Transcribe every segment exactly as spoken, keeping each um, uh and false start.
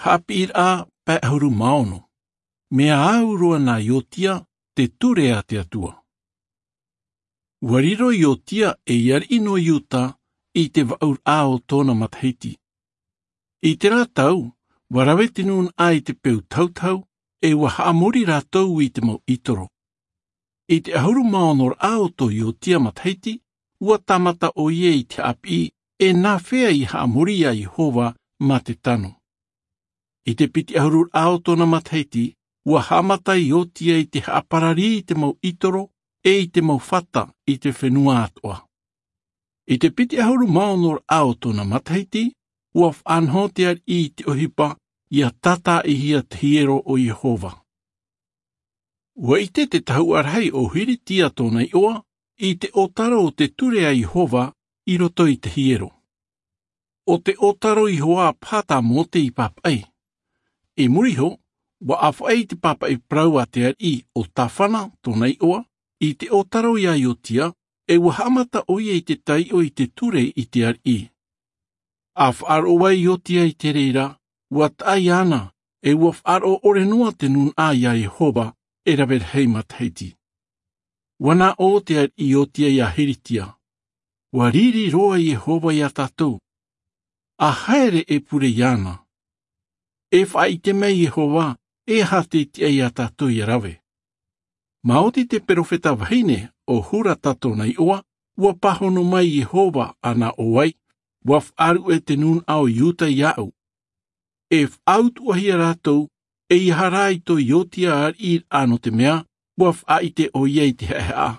Haʻapiʻiraʻa pae ʻahuru mā ono. Mea au roa nā Iotia te ture a te Atua. Ua riro Iotia ei ariʻi nō Iuta i te vaʻuraʻa o tōna matahiti. I terā tau, ua rave te nūnaʻa i te peu tautau, ʻe ua haʻamori rātou i te mau ʻītoro. I te ʻahuru mā ono raʻa o tō Iotia matahiti, ua tāmata ʻoia i te haʻapiʻi, e nāfea i haʻamori iā Iehova mā te tano. I te piti ʻahuru raʻa o tōna matahiti, ua haʻamata Iotia i te haʻaparari i te mau ʻītoro, ʻe i te mau fata i te fenua atoʻa. I te piti ʻahuru mā ono raʻa o tōna matahiti, ua faʻanaho te ariʻi i te ʻohipa, ʻia tātaʻihia te hiero o Iehova. Ua ʻite te tahuʻa rahi o Hiritia tōna iʻoa, i te ʻōtaro o te ture a Iehova i roto i te hiero. ʻO te ʻōtaro Iehova paha tā Mōte i pāpaʻi. I muri iho, ua ʻāfaʻi te pāpaʻi parau a te ariʻi ʻo Tāfana tōna iʻoa, i te ʻōtaro iā Iotia, ʻe ua haʻamata ʻoia i te taiʻo i te ture i te ariʻi. ʻA faʻaroʻo ai Iotia i te reira, ua taʻa iāna, ʻe ua faʻaroʻo ʻore noa te nūnaʻa iā Iehova, e rave rahi matahiti. Ua nā ʻō te ariʻi Iotia iā Hiritia. Ua riri roa Iehova iā tātou. ʻA haere e pure iāna. E faʻaʻite mai Iehova, e aha te tiʻa iā tātou ʻia rave. Maoti te perofeta vahine ʻo Hurata tōna iʻoa, ua pāhono mai Iehova ʻa nā ʻō ai, ua faʻaruʻe te nūnaʻa o Iuta iāʻu. E faʻautuʻahia rātou, ʻeiaha rā i tō Iotia ariʻiraʻa nō te mea, ua faʻaʻite ʻoia i te haʻehaʻa.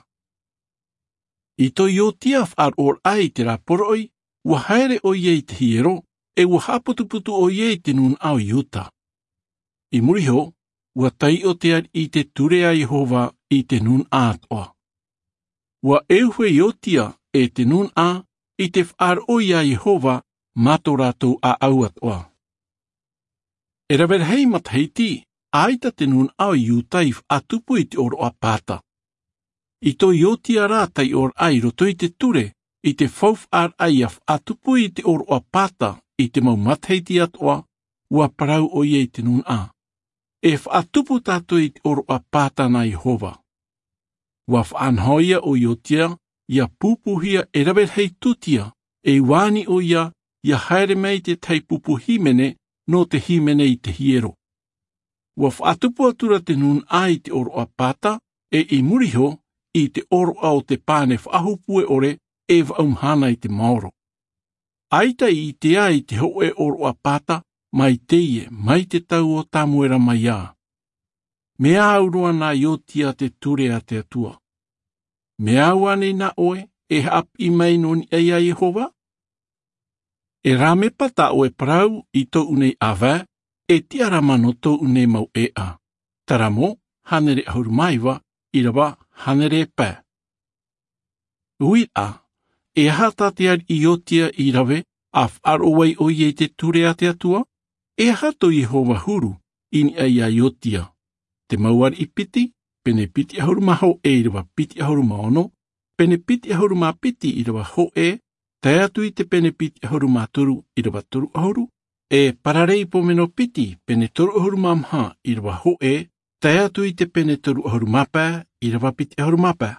I tō Iotia faʻaroʻoraʻa i terā poroʻi, ua haere ʻoia i te hiero, ʻe ua haʻaputuputu ʻoia i te nūnaʻa o Iuta. I muri iho, ua taiʻo te ariʻi i te ture a Iehova i te nūnaʻa atoʻa. Ua ʻeuhe Iotia e te nūnaʻa i te faʻaroʻo iā Iehova mā tō rātou ʻāʻau atoʻa. E rave rahi matahiti, ʻaita te nūnaʻa o Iuta i faʻatupu i te ʻōroʻa pāta. I tō Iotia rā taiʻoraʻa i roto i te ture, i te faufaʻaraʻa ʻia faʻatupu i te ʻōroʻa pāta i te mau matahiti atoʻa, ua parau ʻoia i te nūnaʻa. E faʻatupu tātou i te ʻōroʻa pāta nā Iehova. Ua faʻanaho ia ʻo Iotia, ʻia pupuhia e rave rahi tūtia, ʻe ua ani ʻoia, ʻia haere mai te tahi pupu hīmene, nō te hīmene i te hiero. Ua faʻatupu atu ra te nūnaʻa i te ʻōroʻa pāta, ʻe i muri iho, i te ʻōroʻa o te pane faʻahopu e ʻore, e vaʻu mahana i te maoro. ʻAita i ʻitea i te hōʻē ʻōroʻa pāta, mai teie, mai te tau o Tamuera mai ā. Mea au roa nā Iotia te ture a te Atua. Mea au ānei nā ʻoe, e haʻapiʻi mai nō niʻa iā Iehova? E rāmepa tā ʻoe parau i tōʻu nei ʻāvae, e tiʻarama nō tōʻu nei mau ʻēʻa. Taramo, hānere ʻahuru mā iva, ʻīrava, hānere pae. Uiraʻa, e aha tā te ariʻi Iotia i rave, ʻa faʻaroʻo ai ʻoia i te ture a te Atua? E aha tō Iehova huru, i niʻa iā Iotia? Te mau ariʻi piti, pene piti ʻahuru mā hōʻē ʻīrava piti ʻahuru mā ono, pene piti ʻahuru mā piti ʻīrava hōʻē, tae atu i te pene piti ʻahuru mā toru ʻīrava toru ʻahuru, e Paraleipomeno piti, pene toru ʻahuru mā maha ʻīrava hōʻē, tae atu i te pene toru ʻahuru mā pae ʻīrava piti ʻahuru mā pae.